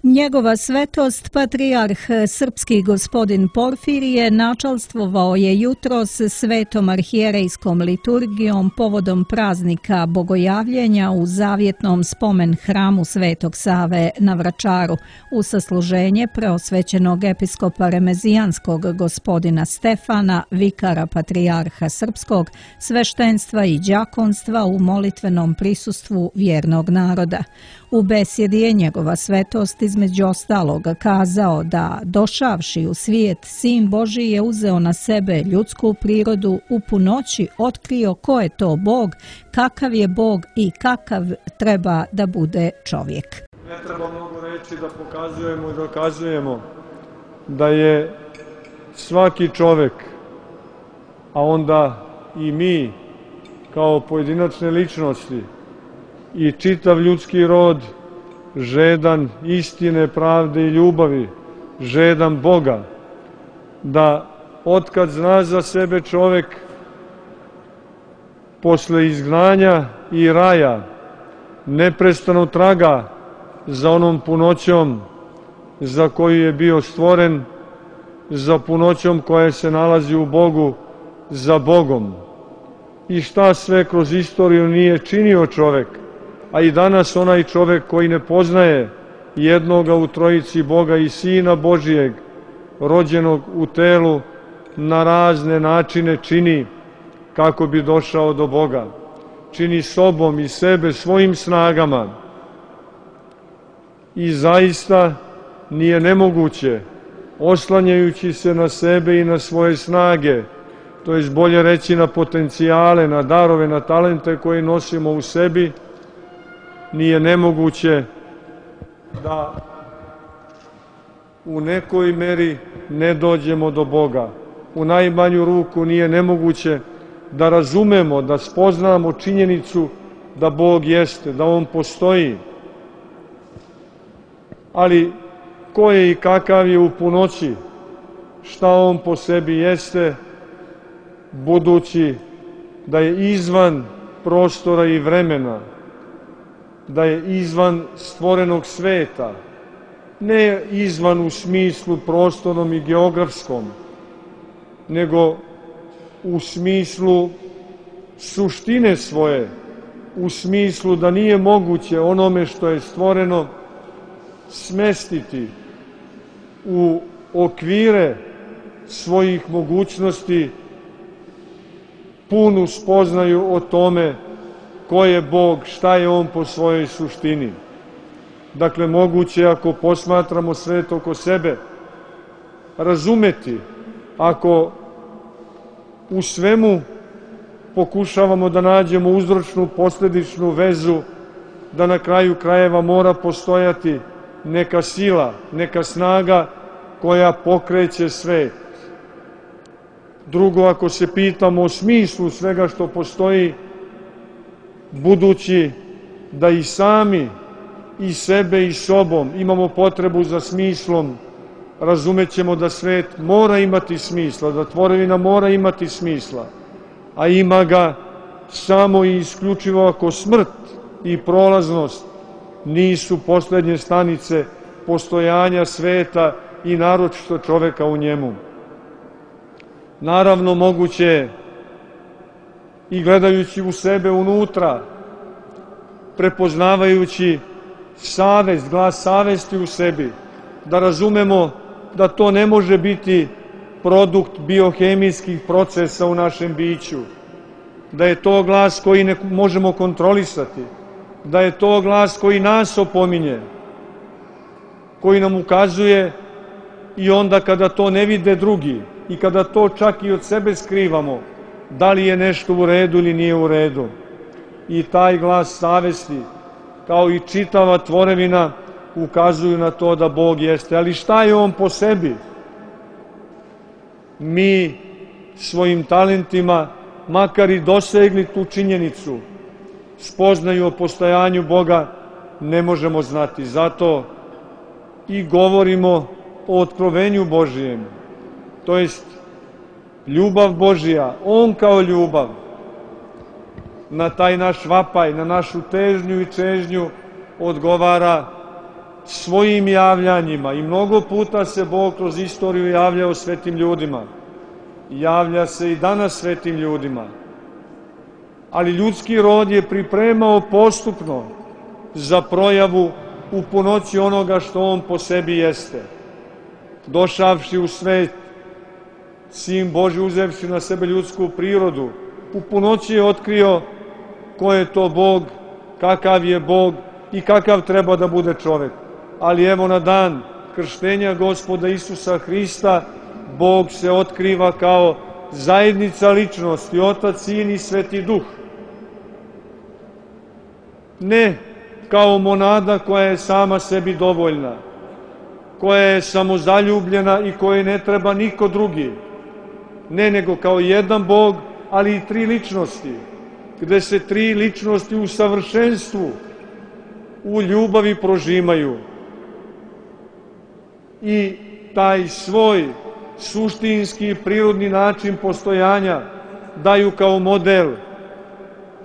Njegova svetost, patrijarh srpski gospodin Porfirije, načalstvovao je jutros svetom arhijerejskom liturgijom povodom praznika Bogojavljenja u zavjetnom spomen hramu Svetog Save na Vračaru u sasluženje preosvećenog episkopa remezijanskog gospodina Stefana, vikara patrijarha srpskog, sveštenstva i đakonstva u molitvenom prisustvu vjernog naroda. U besjedi je njegova svetost između ostalog kazao da, došavši u svijet, Sin Božji je uzeo na sebe ljudsku prirodu, u punoći otkrio ko je to Bog, kakav je Bog i kakav treba da bude čovjek. Ne treba mnogo reći da pokazujemo i dokazujemo da je svaki čovjek, a onda i mi kao pojedinačne ličnosti, i čitav ljudski rod žedan istine, pravde i ljubavi, žedan Boga, da otkad zna za sebe čovjek posle izgnanja i raja neprestano traga za onom punoćom za koju je bio stvoren, za punoćom koja se nalazi u Bogu, za Bogom. I šta sve kroz istoriju nije činio čovjek, a i danas onaj čovjek koji ne poznaje jednoga u trojici Boga i Sina Božijeg, rođenog u telu, na razne načine čini kako bi došao do Boga. Čini sobom i sebe svojim snagama. I zaista nije nemoguće, oslanjajući se na sebe i na svoje snage, to je bolje reći na potencijale, na darove, na talente koje nosimo u sebi, nije nemoguće da u nekoj meri ne dođemo do Boga. U najmanju ruku nije nemoguće da razumemo, da spoznamo činjenicu da Bog jeste, da On postoji. Ali ko je i kakav je u punoći, šta On po sebi jeste, budući da je izvan prostora i vremena, da je izvan stvorenog sveta, ne izvan u smislu prostornom i geografskom, nego u smislu suštine svoje, u smislu da nije moguće onome što je stvoreno smestiti u okvire svojih mogućnosti punu spoznaju o tome ko je Bog, šta je On po svojoj suštini. Dakle, moguće ako posmatramo svet oko sebe, razumeti, ako u svemu pokušavamo da nađemo uzročnu, posledičnu vezu, da na kraju krajeva mora postojati neka sila, neka snaga koja pokreće svet. Drugo, ako se pitamo o smislu svega što postoji, budući da i sami, i sebe i sobom imamo potrebu za smislom, razumećemo da svet mora imati smisla, da tvorevina mora imati smisla, a ima ga samo i isključivo ako smrt i prolaznost nisu poslednje stanice postojanja sveta i naročito čoveka u njemu. Naravno, moguće je i gledajući u sebe unutra, prepoznavajući savest, glas savesti u sebi, da razumemo da to ne može biti produkt biohemijskih procesa u našem biću, da je to glas koji ne možemo kontrolisati, da je to glas koji nas opominje, koji nam ukazuje i onda kada to ne vide drugi i kada to čak i od sebe skrivamo, da li je nešto u redu ili nije u redu. I taj glas savesti, kao i čitava tvorevina, ukazuju na to da Bog jeste. Ali šta je On po sebi? Mi svojim talentima, makar i dosegli tu činjenicu, spoznaju o postojanju Boga, ne možemo znati. Zato i govorimo o otkrovenju Božijem, to jest ljubav Božija, On kao ljubav, na taj naš vapaj, na našu težnju i čežnju odgovara svojim javljanjima i mnogo puta se Bog kroz istoriju javljao svetim ljudima. Javlja se i danas svetim ljudima. Ali ljudski rod je pripremao postupno za projavu u punoći onoga što on po sebi jeste. Došavši u svet, Sin Božji uzevši na sebe ljudsku prirodu, u punoći je otkrio ko je to Bog, kakav je Bog i kakav treba da bude čovek. Ali evo na dan krštenja Gospoda Isusa Hrista, Bog se otkriva kao zajednica ličnosti, Otac, Sin i Sveti Duh. Ne kao monada koja je sama sebi dovoljna, koja je samozaljubljena i kojoj ne treba niko drugi. Ne, nego kao jedan Bog, ali i tri ličnosti, gde se tri ličnosti u savršenstvu, u ljubavi prožimaju. I taj svoj suštinski prirodni način postojanja daju kao model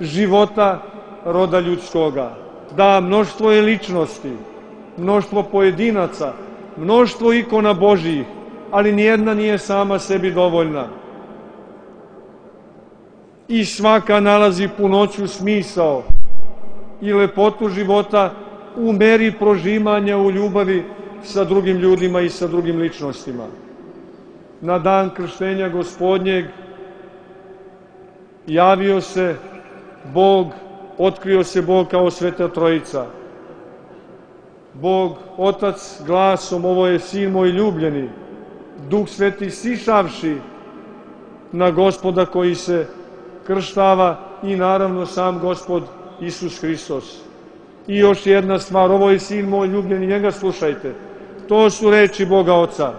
života roda ljudskoga. Da, mnoštvo je ličnosti, mnoštvo pojedinaca, mnoštvo ikona Božijih, ali nijedna nije sama sebi dovoljna. I svaka nalazi punoću smisao i lepotu života u meri prožimanja u ljubavi sa drugim ljudima i sa drugim ličnostima. Na dan krštenja Gospodnjeg javio se Bog, otkrio se Bog kao Sveta Trojica. Bog, Otac, glasom, ovo je Sin moj ljubljeni, Duh Sveti sišavši na Gospoda koji se krštava i naravno sam Gospod Isus Hristos. I još jedna stvar, ovo je Sin moj ljubljeni, njega slušajte. To su reči Boga Oca.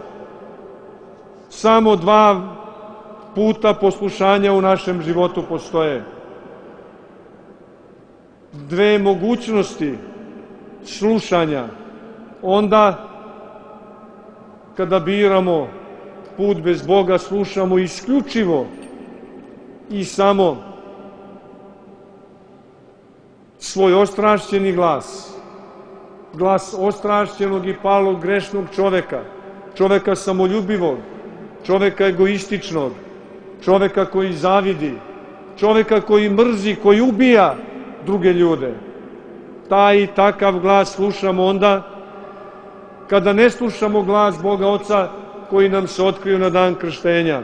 Samo dva puta poslušanja u našem životu postoje. Dve mogućnosti slušanja. Onda, kada biramo put bez Boga, slušamo isključivo i samo svoj ostrašćeni glas. Glas ostrašćenog i palog grešnog čoveka, čoveka samoljubivog, čoveka egoističnog, čoveka koji zavidi, čoveka koji mrzi, koji ubija druge ljude. Taj i takav glas slušamo onda kada ne slušamo glas Boga Oca koji nam se otkrio na dan krštenja.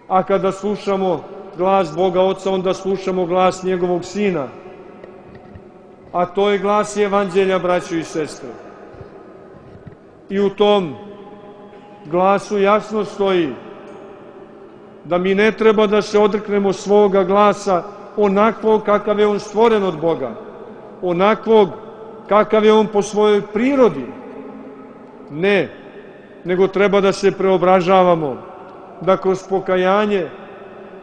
A kada slušamo glas Boga Oca, onda slušamo glas njegovog Sina. A to je glas Evanđelja, braćo i sestre. I u tom glasu jasno stoji da mi ne treba da se odreknemo svoga glasa onakvog kakav je on stvoren od Boga, onakvog kakav je on po svojoj prirodi. Ne, nego treba da se preobražavamo, da kroz pokajanje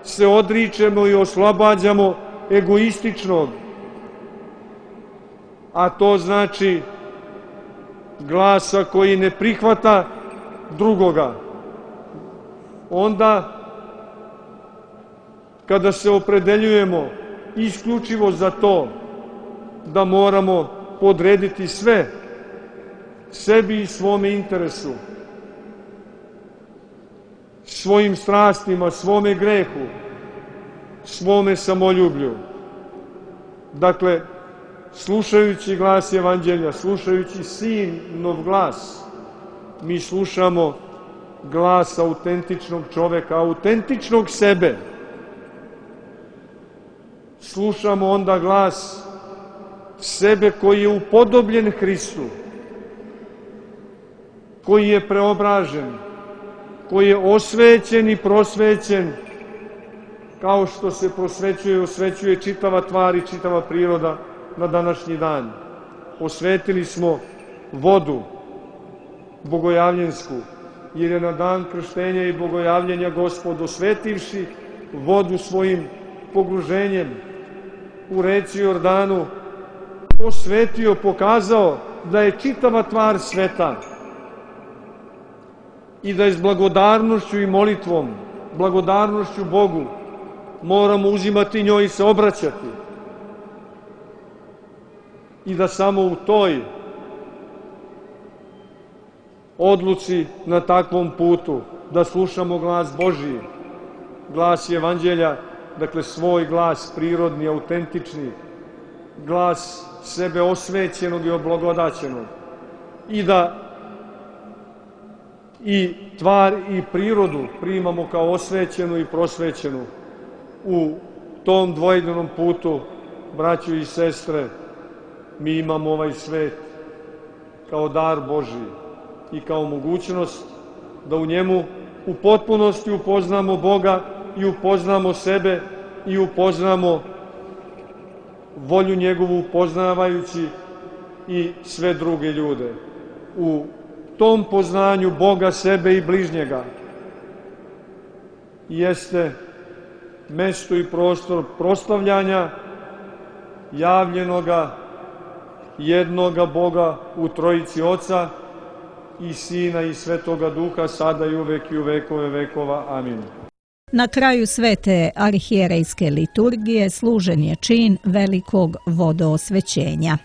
se odričemo i oslobađamo egoističnog, a to znači glasa koji ne prihvata drugoga. Onda, kada se opredeljujemo isključivo za to da moramo podrediti sve sebi i svome interesu, svojim strastima, svome grehu, svome samoljublju. Dakle, slušajući glas Evanđelja, slušajući Sinov glas, mi slušamo glas autentičnog čoveka, autentičnog sebe. Slušamo onda glas sebe koji je upodobljen Hristu, koji je preobražen, koji je osvećen i prosvećen, kao što se prosvećuje i osvećuje čitava tvar i čitava priroda na današnji dan. Osvetili smo vodu bogojavljensku, jer je na dan krštenja i bogojavljenja Gospod, osvetivši vodu svojim pogruženjem u reci Jordanu, osvetio, pokazao da je čitava tvar sveta i da je s blagodarnošću i molitvom, blagodarnošću Bogu, moramo uzimati njoj i se obraćati. I da samo u toj odluci na takvom putu, da slušamo glas Božiji, glas Evanđelja, dakle svoj glas prirodni, autentični, glas sebe osvećenog i oblagodaćenog, i da i tvar i prirodu primamo kao osvećenu i prosvećenu. U tom dvojbenom putu, braćo i sestre, mi imamo ovaj svet kao dar Božiji i kao mogućnost da u njemu u potpunosti upoznamo Boga i upoznamo sebe i upoznamo volju njegovu, upoznavajući i sve druge ljude. U tom poznanju Boga, sebe i bližnjega jeste mesto i prostor proslavljanja javljenoga jednoga Boga u Trojici Oca i Sina i Svetoga Duha, sada i uvek i u vekove vekova. Amin. Na kraju svete arhijerejske liturgije služen je čin velikog vodoosvećenja.